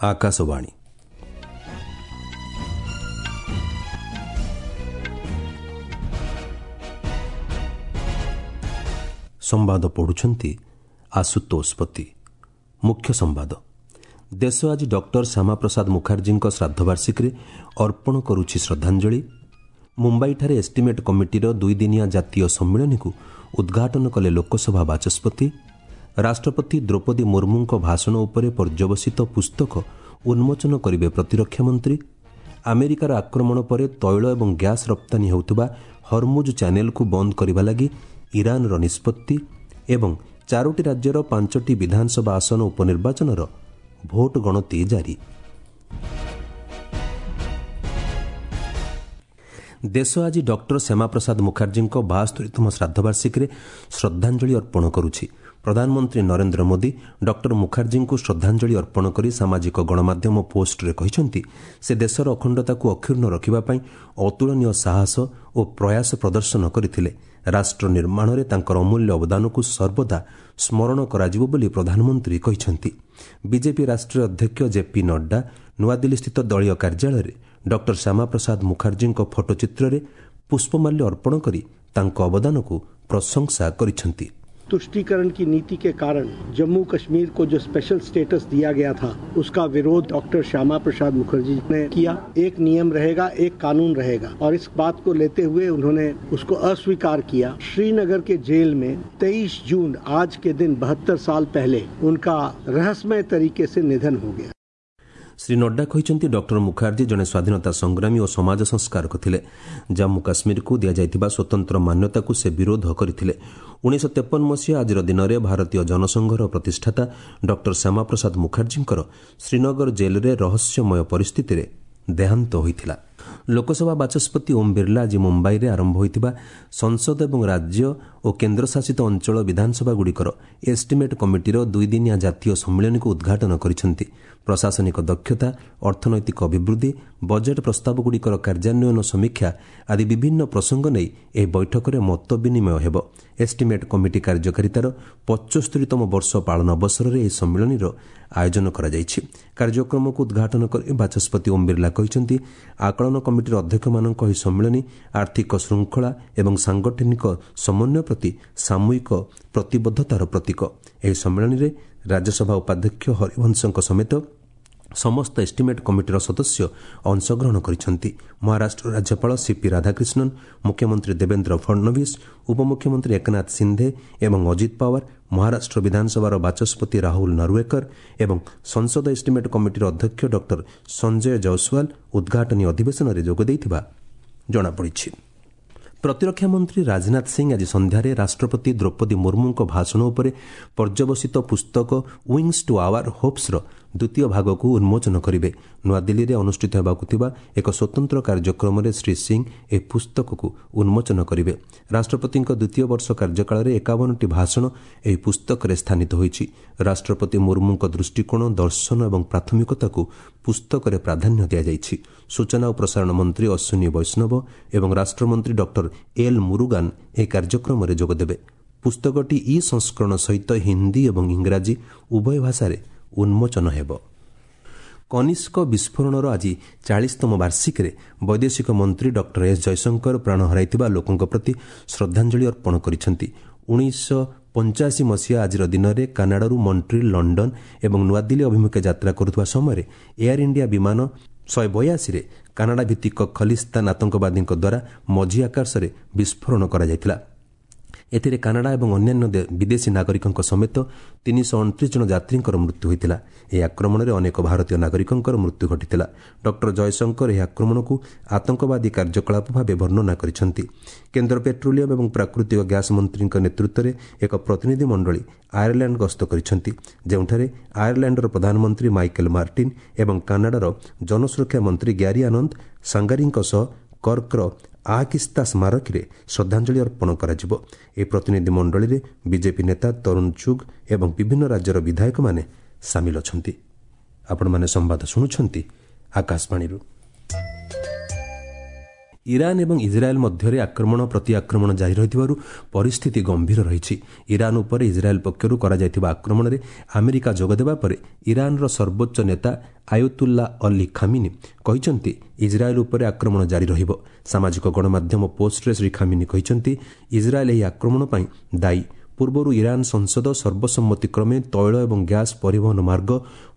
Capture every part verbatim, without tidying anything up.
ଆକାଶବାଣୀ। ସମ୍ବାଦ ପଢ଼ୁଛନ୍ତି ଆଶୁତୋଷ ପତି। ମୁଖ୍ୟ ସମ୍ବାଦ। ଦେଶ ଆଜି ଡକ୍ଟର ଶ୍ୟାମାପ୍ରସାଦ ମୁଖାର୍ଜୀଙ୍କ ଶ୍ରାଦ୍ଧବାର୍ଷିକୀରେ ଅର୍ପଣ କରୁଛି ଶ୍ରଦ୍ଧାଞ୍ଜଳି। ମୁମ୍ବାଇଠାରେ ଏଷ୍ଟିମେଟ୍ କମିଟିର ଦୁଇଦିନିଆ ଜାତୀୟ ସମ୍ମିଳନୀକୁ ଉଦ୍ଘାଟନ କଲେ ଲୋକସଭା ବାଚସ୍ପତି। ରାଷ୍ଟ୍ରପତି ଦ୍ରୌପଦୀ ମୁର୍ମୁଙ୍କ ଭାଷଣ ଉପରେ ପର୍ଯ୍ୟବସିତ ପୁସ୍ତକ ଉନ୍ମୋଚନ କରିବେ ପ୍ରତିରକ୍ଷା ମନ୍ତ୍ରୀ। ଆମେରିକାର ଆକ୍ରମଣ ପରେ ତୈଳ ଏବଂ ଗ୍ୟାସ୍ ରପ୍ତାନୀ ହେଉଥିବା ହରମୁଜ ଚ୍ୟାନେଲକୁ ବନ୍ଦ କରିବା ଲାଗି ଇରାନର ନିଷ୍ପତ୍ତି ଏବଂ ଚାରୋଟି ରାଜ୍ୟର ପାଞ୍ଚଟି ବିଧାନସଭା ଆସନ ଉପନିର୍ବାଚନର ଭୋଟ ଗଣତି ଜାରି। ଦେଶ ଆଜି ଡକ୍ଟର ଶ୍ୟାମାପ୍ରସାଦ ମୁଖାର୍ଜୀଙ୍କ ବାସ୍ତରିତମ ଶ୍ରାଦ୍ଧବାର୍ଷିକୀରେ ଶ୍ରଦ୍ଧାଞ୍ଜଳି ଅର୍ପଣ କରୁଛି। ପ୍ରଧାନମନ୍ତ୍ରୀ ନରେନ୍ଦ୍ର ମୋଦି ଡକ୍ଟର ମୁଖାର୍ଜୀଙ୍କୁ ଶ୍ରଦ୍ଧାଞ୍ଜଳି ଅର୍ପଣ କରି ସାମାଜିକ ଗଣମାଧ୍ୟମ ପୋଷ୍ଟରେ କହିଛନ୍ତି, ସେ ଦେଶର ଅଖଣ୍ଡତାକୁ ଅକ୍ଷୁଣ୍ଣ ରଖିବା ପାଇଁ ଅତୁଳନୀୟ ସାହସ ଓ ପ୍ରୟାସ ପ୍ରଦର୍ଶନ କରିଥିଲେ। ରାଷ୍ଟ୍ର ନିର୍ମାଣରେ ତାଙ୍କର ଅମୂଲ୍ୟ ଅବଦାନକୁ ସର୍ବଦା ସ୍ମରଣ କରାଯିବ ବୋଲି ପ୍ରଧାନମନ୍ତ୍ରୀ କହିଛନ୍ତି। ବିଜେପି ରାଷ୍ଟ୍ରୀୟ ଅଧ୍ୟକ୍ଷ ଜେପି ନଡ୍ଡା ନୂଆଦିଲ୍ଲୀସ୍ଥିତ ଦଳୀୟ କାର୍ଯ୍ୟାଳୟରେ ଡକ୍ଟର ଶ୍ୟାମାପ୍ରସାଦ ମୁଖାର୍ଜୀଙ୍କ ଫଟୋଚିତ୍ରରେ ପୁଷ୍ପମାଲ୍ୟ ଅର୍ପଣ କରି ତାଙ୍କ ଅବଦାନକୁ ପ୍ରଶଂସା କରିଛନ୍ତି। तुष्टीकरण की नीति के कारण जम्मू कश्मीर को जो स्पेशल स्टेटस दिया गया था, उसका विरोध डॉक्टर श्यामा प्रसाद मुखर्जी ने किया। एक नियम रहेगा, एक कानून रहेगा, और इस बात को लेते हुए उन्होंने उसको अस्वीकार किया। श्रीनगर के जेल में तेईस जून आज के दिन बहत्तर साल पहले उनका रहस्यमय तरीके से निधन हो गया। ଶ୍ରୀ ନଡ୍ଡା କହିଛନ୍ତି, ଡକ୍ଟର ମୁଖାର୍ଜୀ ଜଣେ ସ୍ୱାଧୀନତା ସଂଗ୍ରାମୀ ଓ ସମାଜ ସଂସ୍କାରକ ଥିଲେ। ଜାମ୍ମୁ କାଶ୍ମୀରକୁ ଦିଆଯାଇଥିବା ସ୍ୱତନ୍ତ୍ର ମାନ୍ୟତାକୁ ସେ ବିରୋଧ କରିଥିଲେ। ଉଣେଇଶହ ତେପନ ମସିହା ଆଜିର ଦିନରେ ଭାରତୀୟ ଜନସଂଘର ପ୍ରତିଷ୍ଠାତା ଡକ୍ଟର ଶ୍ୟାମାପ୍ରସାଦ ମୁଖାର୍ଜୀଙ୍କର ଶ୍ରୀନଗର ଜେଲ୍ରେ ରହସ୍ୟମୟ ପରିସ୍ଥିତିରେ ଦେହାନ୍ତ ହୋଇଥିଲା। ଲୋକସଭା ବାଚସ୍ପତି ଓମ୍ ବିର୍ଲା ଆଜି ମୁମ୍ବାଇରେ ଆରମ୍ଭ ହୋଇଥିବା ସଂସଦ ଏବଂ ରାଜ୍ୟ ଓ କେନ୍ଦ୍ରଶାସିତ ଅଞ୍ଚଳ ବିଧାନସଭାଗୁଡ଼ିକର ଏଷ୍ଟିମେଟ୍ କମିଟିର ଦୁଇଦିନିଆ ଜାତୀୟ ସମ୍ମିଳନୀକୁ ଉଦ୍ଘାଟନ କରିଛନ୍ତି। ପ୍ରଶାସନିକ ଦକ୍ଷତା, ଅର୍ଥନୈତିକ ଅଭିବୃଦ୍ଧି, ବଜେଟ୍ ପ୍ରସ୍ତାବଗୁଡ଼ିକର କାର୍ଯ୍ୟାନ୍ୱୟନ ସମୀକ୍ଷା ଆଦି ବିଭିନ୍ନ ପ୍ରସଙ୍ଗ ନେଇ ଏହି ବୈଠକରେ ମତ ବିନିମୟ ହେବ। ଏଷ୍ଟିମେଟ୍ କମିଟି କାର୍ଯ୍ୟକାରିତାର ପଞ୍ଚସ୍ତରୀତମ ବର୍ଷ ପାଳନ ଅବସରରେ ଏହି ସମ୍ମିଳନୀର ଆୟୋଜନ କରାଯାଇଛି। କାର୍ଯ୍ୟକ୍ରମକୁ ଉଦ୍ଘାଟନ କରି ବାଚସ୍ପତି ଓମ୍ ବିର୍ଲା କହିଛନ୍ତି, ଆକଳନ କମିଟିର ଅଧ୍ୟକ୍ଷମାନଙ୍କ ଏହି ସମ୍ମିଳନୀ ଆର୍ଥିକ ଶୃଙ୍ଖଳା ଏବଂ ସାଂଗଠନିକ ସମନ୍ୱୟ ପ୍ରତି ସାମୂହିକ ପ୍ରତିବଦ୍ଧତାର ପ୍ରତୀକ। ଏହି ସମ୍ମିଳନୀରେ ରାଜ୍ୟସଭା ଉପାଧ୍ୟକ୍ଷ ହରିବଂଶଙ୍କ ସମେତ ସମସ୍ତ ଏଷ୍ଟିମେଟ୍ କମିଟିର ସଦସ୍ୟ ଅଂଶଗ୍ରହଣ କରିଛନ୍ତି। ମହାରାଷ୍ଟ୍ର ରାଜ୍ୟପାଳ ସିପି ରାଧାକ୍ରିଷ୍ଣନ୍, ମୁଖ୍ୟମନ୍ତ୍ରୀ ଦେବେନ୍ଦ୍ର ଫଡନଭିସ୍, ଉପମୁଖ୍ୟମନ୍ତ୍ରୀ ଏକନାଥ ସିନ୍ଧେ ଏବଂ ଅଜିତ ପାୱାର, ମହାରାଷ୍ଟ୍ର ବିଧାନସଭାର ବାଚସ୍ପତି ରାହୁଲ ନରୱେକର ଏବଂ ସଂସଦ ଏଷ୍ଟିମେଟ୍ କମିଟିର ଅଧ୍ୟକ୍ଷ ଡକ୍ଟର ସଞ୍ଜୟ ଜୟସ୍ୱାଲ ଉଦ୍ଘାଟନୀ ଅଧିବେଶନରେ ଯୋଗ ଦେଇଥିବା ଜଣାପଡ଼ିଛି। ପ୍ରତିରକ୍ଷା ମନ୍ତ୍ରୀ ରାଜନାଥ ସିଂ ଆଜି ସନ୍ଧ୍ୟାରେ ରାଷ୍ଟ୍ରପତି ଦ୍ରୌପଦୀ ମୁର୍ମୁଙ୍କ ଭାଷଣ ଉପରେ ପର୍ଯ୍ୟବସିତ ପୁସ୍ତକ ୱିଙ୍ଗସ୍ ଟୁ ଆୱାର ହୋପ୍ସର ଦ୍ୱିତୀୟ ଭାଗକୁ ଉନ୍ମୋଚନ କରିବେ। ନୂଆଦିଲ୍ଲୀରେ ଅନୁଷ୍ଠିତ ହେବାକୁ ଥିବା ଏକ ସ୍ୱତନ୍ତ୍ର କାର୍ଯ୍ୟକ୍ରମରେ ଶ୍ରୀ ସିଂ ଏହି ପୁସ୍ତକକୁ ଉନ୍ମୋଚନ କରିବେ। ରାଷ୍ଟ୍ରପତିଙ୍କ ଦ୍ୱିତୀୟ ବର୍ଷ କାର୍ଯ୍ୟକାଳରେ ଏକାବନଟି ଭାଷଣ ଏହି ପୁସ୍ତକରେ ସ୍ଥାନିତ ହୋଇଛି। ରାଷ୍ଟ୍ରପତି ମୁର୍ମୁଙ୍କ ଦୃଷ୍ଟିକୋଣ, ଦର୍ଶନ ଏବଂ ପ୍ରାଥମିକତାକୁ ପୁସ୍ତକରେ ପ୍ରାଧାନ୍ୟ ଦିଆଯାଇଛି। ସୂଚନା ଓ ପ୍ରସାରଣ ମନ୍ତ୍ରୀ ଅଶ୍ୱିନୀ ବୈଷ୍ଣବ ଏବଂ ରାଷ୍ଟ୍ରମନ୍ତ୍ରୀ ଡକ୍ଟର ଏଲ୍ ମୁରୁଗାନ ଏହି କାର୍ଯ୍ୟକ୍ରମରେ ଯୋଗଦେବେ। ପୁସ୍ତକଟି ଇ ସଂସ୍କରଣ ସହିତ ହିନ୍ଦୀ ଏବଂ ଇଂରାଜୀ ଉଭୟ ଭାଷାରେ ଉନ୍ମୋଚନ ହେବ। କନିଷ୍କ ବିସ୍ଫୋରଣର ଆଜି ଚାଳିଶତମ ବାର୍ଷିକୀରେ ବୈଦେଶିକ ମନ୍ତ୍ରୀ ଡକ୍ଟର ଏସ୍ ଜୟଶଙ୍କର ପ୍ରାଣ ହରାଇଥିବା ଲୋକଙ୍କ ପ୍ରତି ଶ୍ରଦ୍ଧାଞ୍ଜଳି ଅର୍ପଣ କରିଛନ୍ତି। ଉଣେଇଶହ ପଞ୍ଚାଅଶୀ ମସିହା ଆଜିର ଦିନରେ କାନାଡାରୁ ମଣ୍ଟ୍ରିଲ୍, ଲଣ୍ଡନ ଏବଂ ନୂଆଦିଲ୍ଲୀ ଅଭିମୁଖେ ଯାତ୍ରା କରୁଥିବା ସମୟରେ ଏୟାର ଇଣ୍ଡିଆ ବିମାନ ଶହେ ବୟାଅଶୀରେ କାନାଡା ଭିତ୍ତିକ ଖଲିସ୍ତାନ ଆତଙ୍କବାଦୀଙ୍କ ଦ୍ୱାରା ମଝି ଆକାଶରେ ବିସ୍ଫୋରଣ କରାଯାଇଥିଲା। ଏଥିରେ କାନାଡା ଏବଂ ଅନ୍ୟାନ୍ୟ ବିଦେଶୀ ନାଗରିକଙ୍କ ସମେତ ତିନିଶହ ଅଣତିରିଶ ଜଣ ଯାତ୍ରୀଙ୍କର ମୃତ୍ୟୁ ହୋଇଥିଲା। ଏହି ଆକ୍ରମଣରେ ଅନେକ ଭାରତୀୟ ନାଗରିକଙ୍କର ମୃତ୍ୟୁ ଘଟିଥିଲା। ଡକ୍ଟର ଜୟଶଙ୍କର ଏହି ଆକ୍ରମଣକୁ ଆତଙ୍କବାଦୀ କାର୍ଯ୍ୟକଳାପ ଭାବେ ବର୍ଣ୍ଣନା କରିଛନ୍ତି। କେନ୍ଦ୍ର ପେଟ୍ରୋଲିୟମ ଏବଂ ପ୍ରାକୃତିକ ଗ୍ୟାସ୍ ମନ୍ତ୍ରୀଙ୍କ ନେତୃତ୍ୱରେ ଏକ ପ୍ରତିନିଧି ମଣ୍ଡଳୀ ଆୟାରଲ୍ୟାଣ୍ଡ ଗସ୍ତ କରିଛନ୍ତି, ଯେଉଁଠାରେ ଆୟାରଲ୍ୟାଣ୍ଡର ପ୍ରଧାନମନ୍ତ୍ରୀ ମାଇକେଲ ମାର୍ଟିନ୍ ଏବଂ କାନାଡାର ଜନସୁରକ୍ଷା ମନ୍ତ୍ରୀ ଗ୍ୟାରି ଆନନ୍ଦ ସାଙ୍ଗାରୀଙ୍କ ସହ କର୍କର ଆକିସ୍ତା ସ୍ମାରକୀରେ ଶ୍ରଦ୍ଧାଞ୍ଜଳି ଅର୍ପଣ କରାଯିବ। ଏହି ପ୍ରତିନିଧି ମଣ୍ଡଳୀରେ ବିଜେପି ନେତା ତରୁଣ ଚୁଗ୍ ଏବଂ ବିଭିନ୍ନ ରାଜ୍ୟର ବିଧାୟକମାନେ ସାମିଲ ଅଛନ୍ତି। ଆପଣମାନେ ସମ୍ବାଦ ଶୁଣୁଛନ୍ତି ଆକାଶବାଣୀରୁ। ଇରାନ ଏବଂ ଇସ୍ରାଏଲ୍ ମଧ୍ୟରେ ଆକ୍ରମଣ ପ୍ରତିଆକ୍ରମଣ ଜାରି ରହିଥିବାରୁ ପରିସ୍ଥିତି ଗମ୍ଭୀର ରହିଛି। ଇରାନ ଉପରେ ଇସ୍ରାଏଲ୍ ପକ୍ଷରୁ କରାଯାଇଥିବା ଆକ୍ରମଣରେ ଆମେରିକା ଯୋଗଦେବା ପରେ ଇରାନର ସର୍ବୋଚ୍ଚ ନେତା ଆୟତୁଲ୍ଲା ଅଲି ଖାମିନି କହିଛନ୍ତି, ଇସ୍ରାଏଲ୍ ଉପରେ ଆକ୍ରମଣ ଜାରି ରହିବ। ସାମାଜିକ ଗଣମାଧ୍ୟମ ପୋଷ୍ଟରେ ଶ୍ରୀ ଖାମିନି କହିଛନ୍ତି, ଇସ୍ରାଏଲ୍ ଏହି ଆକ୍ରମଣ ପାଇଁ ଦାୟୀ। ପୂର୍ବରୁ ଇରାନ ସଂସଦ ସର୍ବସମ୍ମତିକ୍ରମେ ତୈଳ ଏବଂ ଗ୍ୟାସ୍ ପରିବହନ ମାର୍ଗ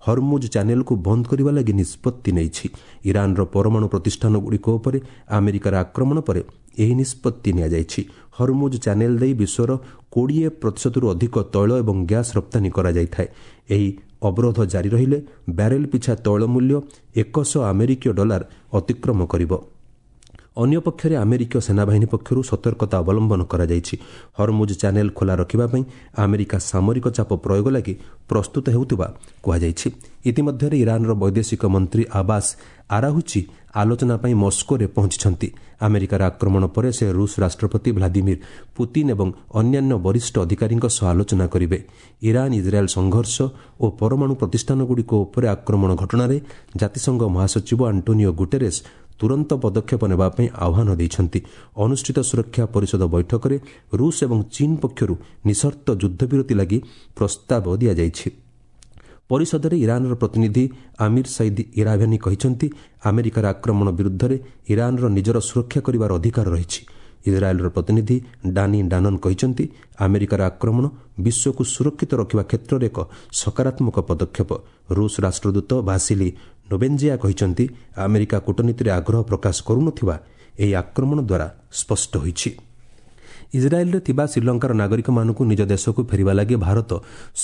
ହରମୁଜ ଚ୍ୟାନେଲକୁ ବନ୍ଦ କରିବା ଲାଗି ନିଷ୍ପତ୍ତି ନେଇଛି। ଇରାନର ପରମାଣୁ ପ୍ରତିଷ୍ଠାନଗୁଡ଼ିକ ଉପରେ ଆମେରିକାର ଆକ୍ରମଣ ପରେ ଏହି ନିଷ୍ପତ୍ତି ନିଆଯାଇଛି। ହରମୁଜ ଚ୍ୟାନେଲ ଦେଇ ବିଶ୍ୱର କୋଡ଼ିଏ ପ୍ରତିଶତରୁ ଅଧିକ ତୈଳ ଏବଂ ଗ୍ୟାସ୍ ରପ୍ତାନୀ କରାଯାଇଥାଏ। ଏହି ଅବରୋଧ ଜାରି ରହିଲେ ବ୍ୟାରେଲ ପିଛା ତୈଳ ମୂଲ୍ୟ ଏକଶହ ଆମେରିକୀୟ ଡଲାର ଅତିକ୍ରମ କରିବ। ଅନ୍ୟପକ୍ଷରେ ଆମେରିକୀୟ ସେନାବାହିନୀ ପକ୍ଷରୁ ସତର୍କତା ଅବଲମ୍ବନ କରାଯାଇଛି। ହରମୁଜ ଚ୍ୟାନେଲ ଖୋଲା ରଖିବା ପାଇଁ ଆମେରିକା ସାମରିକ ଚାପ ପ୍ରୟୋଗ ଲାଗି ପ୍ରସ୍ତୁତ ହେଉଥିବା କୁହାଯାଇଛି। ଇତିମଧ୍ୟରେ ଇରାନର ବୈଦେଶିକ ମନ୍ତ୍ରୀ ଆବାସ ଆରାହୁଚି ଆଲୋଚନା ପାଇଁ ମସ୍କୋରେ ପହଞ୍ଚିଛନ୍ତି। ଆମେରିକାର ଆକ୍ରମଣ ପରେ ସେ ରୁଷ ରାଷ୍ଟ୍ରପତି ଭ୍ଲାଦିମିର ପୁତିନ୍ ଏବଂ ଅନ୍ୟାନ୍ୟ ବରିଷ୍ଠ ଅଧିକାରୀଙ୍କ ସହ ଆଲୋଚନା କରିବେ। ଇରାନ ଇସ୍ରାଏଲ୍ ସଂଘର୍ଷ ଓ ପରମାଣୁ ପ୍ରତିଷ୍ଠାନଗୁଡ଼ିକ ଉପରେ ଆକ୍ରମଣ ଘଟଣାରେ ଜାତିସଂଘ ମହାସଚିବ ଆଣ୍ଟୋନିଓ ଗୁଟେରେସ୍ ତୁରନ୍ତ ପଦକ୍ଷେପ ନେବା ପାଇଁ ଆହ୍ୱାନ ଦେଇଛନ୍ତି। ଅନୁଷ୍ଠିତ ସୁରକ୍ଷା ପରିଷଦ ବୈଠକରେ ରୁଷ ଏବଂ ଚୀନ୍ ପକ୍ଷରୁ ନିଃସର୍ତ୍ତ ଯୁଦ୍ଧବିରତି ଲାଗି ପ୍ରସ୍ତାବ ଦିଆଯାଇଛି। ପରିଷଦରେ ଇରାନର ପ୍ରତିନିଧି ଆମିର ସଇଦ୍ ଇରାଭାନି କହିଛନ୍ତି, ଆମେରିକାର ଆକ୍ରମଣ ବିରୁଦ୍ଧରେ ଇରାନର ନିଜର ସୁରକ୍ଷା କରିବାର ଅଧିକାର ରହିଛି। ଇସ୍ରାଏଲ୍ର ପ୍ରତିନିଧି ଡାନି ଡାନନ୍ କହିଛନ୍ତି, ଆମେରିକାର ଆକ୍ରମଣ ବିଶ୍ୱକୁ ସୁରକ୍ଷିତ ରଖିବା କ୍ଷେତ୍ରରେ ଏକ ସକାରାତ୍ମକ ପଦକ୍ଷେପ। ରୁଷ ରାଷ୍ଟ୍ରଦୂତ ଭାସିଲି ନୋବେଞ୍ଜିଆ କହିଛନ୍ତି, ଆମେରିକା କୂଟନୀତିରେ ଆଗ୍ରହ ପ୍ରକାଶ କରୁନଥିବା ଏହି ଆକ୍ରମଣ ଦ୍ୱାରା ସ୍ପଷ୍ଟ ହୋଇଛି। ଇସ୍ରାଏଲ୍ରେ ଥିବା ଶ୍ରୀଲଙ୍କାର ନାଗରିକମାନଙ୍କୁ ନିଜ ଦେଶକୁ ଫେରିବା ଲାଗି ଭାରତ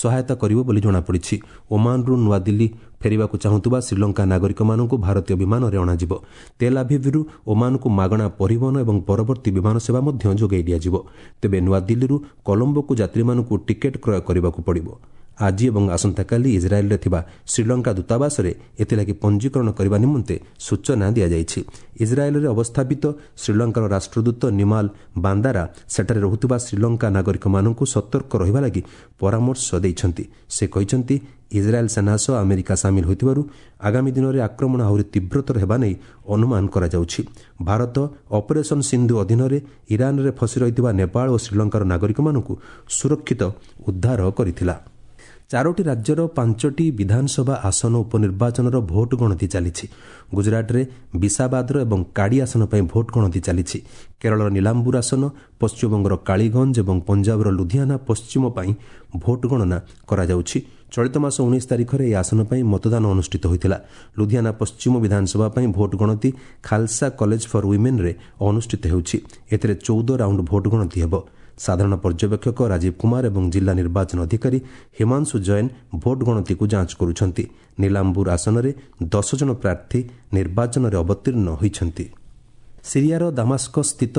ସହାୟତା କରିବ ବୋଲି ଜଣାପଡ଼ିଛି। ଓମାନରୁ ନୂଆଦିଲ୍ଲୀ ଫେରିବାକୁ ଚାହୁଁଥିବା ଶ୍ରୀଲଙ୍କା ନାଗରିକମାନଙ୍କୁ ଭାରତୀୟ ବିମାନରେ ଅଣାଯିବ। ତେଲ୍ ଆଭିଭ୍ରୁ ଓମାନକୁ ମାଗଣା ପରିବହନ ଏବଂ ପରବର୍ତ୍ତୀ ବିମାନ ସେବା ମଧ୍ୟ ଯୋଗାଇ ଦିଆଯିବ। ତେବେ ନୂଆଦିଲ୍ଲୀରୁ କଲମ୍ବୋକୁ ଯାତ୍ରୀମାନଙ୍କୁ ଟିକେଟ୍ କ୍ରୟ କରିବାକୁ ପଡ଼ିବ। ଆଜି ଏବଂ ଆସନ୍ତାକାଲି ଇସ୍ରାଏଲ୍ରେ ଥିବା ଶ୍ରୀଲଙ୍କା ଦୂତାବାସରେ ଏଥିଲାଗି ପଞ୍ଜୀକରଣ କରିବା ନିମନ୍ତେ ସୂଚନା ଦିଆଯାଇଛି। ଇସ୍ରାଏଲ୍ରେ ଅବସ୍ଥାପିତ ଶ୍ରୀଲଙ୍କାର ରାଷ୍ଟ୍ରଦୂତ ନିମାଲ ବାନ୍ଦାରା ସେଠାରେ ରହୁଥିବା ଶ୍ରୀଲଙ୍କା ନାଗରିକମାନଙ୍କୁ ସତର୍କ ରହିବା ଲାଗି ପରାମର୍ଶ ଦେଇଛନ୍ତି। ସେ କହିଛନ୍ତି, ଇସ୍ରାଏଲ୍ ସେନା ସହ ଆମେରିକା ସାମିଲ ହୋଇଥିବାରୁ ଆଗାମୀ ଦିନରେ ଆକ୍ରମଣ ଆହୁରି ତୀବ୍ରତର ହେବା ନେଇ ଅନୁମାନ କରାଯାଉଛି। ଭାରତ ଅପରେସନ୍ ସିନ୍ଧୁ ଅଧୀନରେ ଇରାନରେ ଫସି ରହିଥିବା ନେପାଳ ଓ ଶ୍ରୀଲଙ୍କାର ନାଗରିକମାନଙ୍କୁ ସୁରକ୍ଷିତ ଉଦ୍ଧାର କରିଥିଲା। ଚାରୋଟି ରାଜ୍ୟର ପାଞ୍ଚଟି ବିଧାନସଭା ଆସନ ଉପନିର୍ବାଚନର ଭୋଟ ଗଣତି ଚାଲିଛି। ଗୁଜରାଟରେ ବିଶାବାଦର ଏବଂ କାଡ଼ି ଆସନ ପାଇଁ ଭୋଟ ଗଣତି ଚାଲିଛି। କେରଳର ନୀଲାମ୍ବୁର ଆସନ, ପଶ୍ଚିମବଙ୍ଗର କାଳିଗଞ୍ଜ ଏବଂ ପଞ୍ଜାବର ଲୁଧିଆନା ପଶ୍ଚିମ ପାଇଁ ଭୋଟ ଗଣନା କରାଯାଉଛି। ଚଳିତ ମାସ ଉଣେଇଶ ତାରିଖରେ ଏହି ଆସନ ପାଇଁ ମତଦାନ ଅନୁଷ୍ଠିତ ହୋଇଥିଲା। ଲୁଧିଆନା ପଶ୍ଚିମ ବିଧାନସଭା ପାଇଁ ଭୋଟ ଗଣତି ଖାଲସା କଲେଜ ଫର୍ ୱିମେନ୍ରେ ଅନୁଷ୍ଠିତ ହେଉଛି। ଏଥିରେ ଚଉଦ ରାଉଣ୍ଡ ଭୋଟ ଗଣତି ହେବ। ସାଧାରଣ ପର୍ଯ୍ୟବେକ୍ଷକ ରାଜୀବ କୁମାର ଏବଂ ଜିଲ୍ଲା ନିର୍ବାଚନ ଅଧିକାରୀ ହିମାଂଶୁ ଜୈନ ଭୋଟ ଗଣତିକୁ ଯାଞ୍ଚ କରୁଛନ୍ତି। ନୀଲାମ୍ବୁର ଆସନରେ ଦଶ ଜଣ ପ୍ରାର୍ଥୀ ନିର୍ବାଚନରେ ଅବତୀର୍ଣ୍ଣ ହୋଇଛନ୍ତି। ସିରିଆର ଦାମାସ୍କସ୍ ସ୍ଥିତ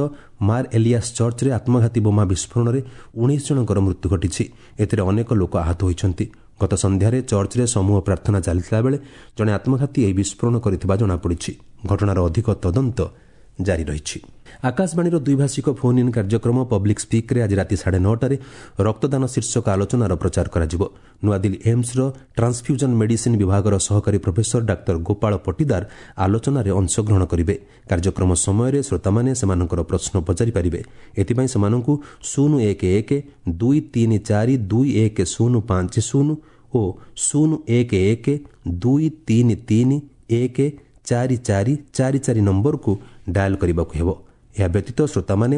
ମାର୍ ଏଲିଆସ୍ ଚର୍ଚ୍ଚରେ ଆତ୍ମଘାତୀ ବୋମା ବିସ୍ଫୋରଣରେ ଉଣେଇଶ ଜଣଙ୍କର ମୃତ୍ୟୁ ଘଟିଛି। ଏଥିରେ ଅନେକ ଲୋକ ଆହତ ହୋଇଛନ୍ତି। ଗତ ସନ୍ଧ୍ୟାରେ ଚର୍ଚ୍ଚରେ ସମୂହ ପ୍ରାର୍ଥନା ଚାଲିଥିଲା ବେଳେ ଜଣେ ଆତ୍ମଘାତୀ ଏହି ବିସ୍ଫୋରଣ କରିଥିବା ଜଣାପଡ଼ିଛି। ଘଟଣାର ଅଧିକ ତଦନ୍ତ ଜାରି ରହିଛି। ଆକାଶବାଣୀର ଦ୍ୱିଭାଷିକ ଫୋନ୍ ଇନ୍ କାର୍ଯ୍ୟକ୍ରମ ପବ୍ଲିକ୍ ସ୍ପିକ୍ରେ ଆଜି ରାତି ସାଢ଼େ ନଅଟାରେ ରକ୍ତଦାନ ଶୀର୍ଷକ ଆଲୋଚନାର ପ୍ରଚାର କରାଯିବ। ନୂଆଦିଲ୍ଲୀ ଏମ୍ସର ଟ୍ରାନ୍ସଫ୍ୟୁଜନ୍ ମେଡିସିନ୍ ବିଭାଗର ସହକାରୀ ପ୍ରଫେସର ଡାକ୍ତର ଗୋପାଳ ପଟିଦାର ଆଲୋଚନାରେ ଅଂଶଗ୍ରହଣ କରିବେ। କାର୍ଯ୍ୟକ୍ରମ ସମୟରେ ଶ୍ରୋତାମାନେ ସେମାନଙ୍କର ପ୍ରଶ୍ନ ପଚାରିପାରିବେ। ଏଥିପାଇଁ ସେମାନଙ୍କୁ ଶୂନ ଏକ ଏକ ଦୁଇ ତିନି ଚାରି ଦୁଇ ଏକ ଶୂନ ପାଞ୍ଚ ଶୂନ ଓ ଶୂନ ଏକ ଏକ ଦୁଇ ତିନି ତିନି ଏକ ଚାରି ଚାରି ଚାରି ଚାରି ନମ୍ବରକୁ ଡାଏଲ୍ କରିବାକୁ ହେବ। ଏହା ବ୍ୟତୀତ ଶ୍ରୋତାମାନେ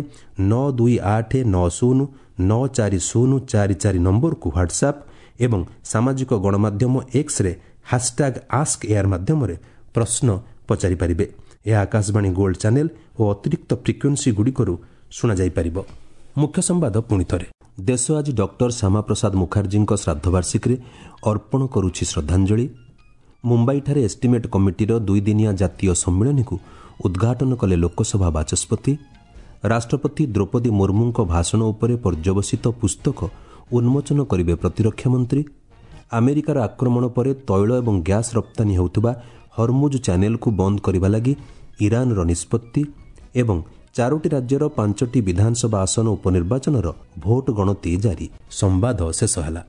ନଅ ଦୁଇ ଆଠ ନଅ ଶୂନ ନଅ ଚାରି ଶୂନ ଚାରି ଚାରି ନମ୍ବରକୁ ହ୍ୱାଟ୍ସଆପ୍ ଏବଂ ସାମାଜିକ ଗଣମାଧ୍ୟମ ଏକ୍ସରେ ହ୍ୟାସ୍ଟ୍ୟାଗ୍ ଆସ୍କ ଏୟାର ମାଧ୍ୟମରେ ପ୍ରଶ୍ନ ପଚାରିପାରିବେ। ଏହା ଆକାଶବାଣୀ ଗୋଲ୍ଡ ଚ୍ୟାନେଲ୍ ଓ ଅତିରିକ୍ତ ଫ୍ରିକ୍ୱେନ୍ସିଗୁଡ଼ିକରୁ ଶୁଣାଯାଇପାରିବ। ମୁଖ୍ୟ ସମ୍ବାଦ ପୁଣିଥରେ। ଦେଶ ଆଜି ଡକ୍ଟର ଶ୍ୟାମାପ୍ରସାଦ ମୁଖାର୍ଜୀଙ୍କ ଶ୍ରାଦ୍ଧବାର୍ଷିକୀରେ ଅର୍ପଣ କରୁଛି ଶ୍ରଦ୍ଧାଞ୍ଜଳି। ମୁମ୍ବାଇଠାରେ ଏଷ୍ଟିମେଟ୍ କମିଟିର ଦୁଇଦିନିଆ ଜାତୀୟ ସମ୍ମିଳନୀକୁ ଉଦ୍ଘାଟନ କଲେ ଲୋକସଭା ବାଚସ୍ପତି। ରାଷ୍ଟ୍ରପତି ଦ୍ରୌପଦୀ ମୁର୍ମୁଙ୍କ ଭାଷଣ ଉପରେ ପର୍ଯ୍ୟବସିତ ପୁସ୍ତକ ଉନ୍ମୋଚନ କରିବେ ପ୍ରତିରକ୍ଷା ମନ୍ତ୍ରୀ। ଆମେରିକାର ଆକ୍ରମଣ ପରେ ତୈଳ ଏବଂ ଗ୍ୟାସ୍ ରପ୍ତାନୀ ହେଉଥିବା ହରମୁଜ ଚ୍ୟାନେଲକୁ ବନ୍ଦ କରିବା ଲାଗି ଇରାନର ନିଷ୍ପତ୍ତି ଏବଂ ଚାରୋଟି ରାଜ୍ୟର ପାଞ୍ଚଟି ବିଧାନସଭା ଆସନ ଉପନିର୍ବାଚନର ଭୋଟ ଗଣତି ଜାରି। ସମ୍ବାଦ ଶେଷ ହେଲା।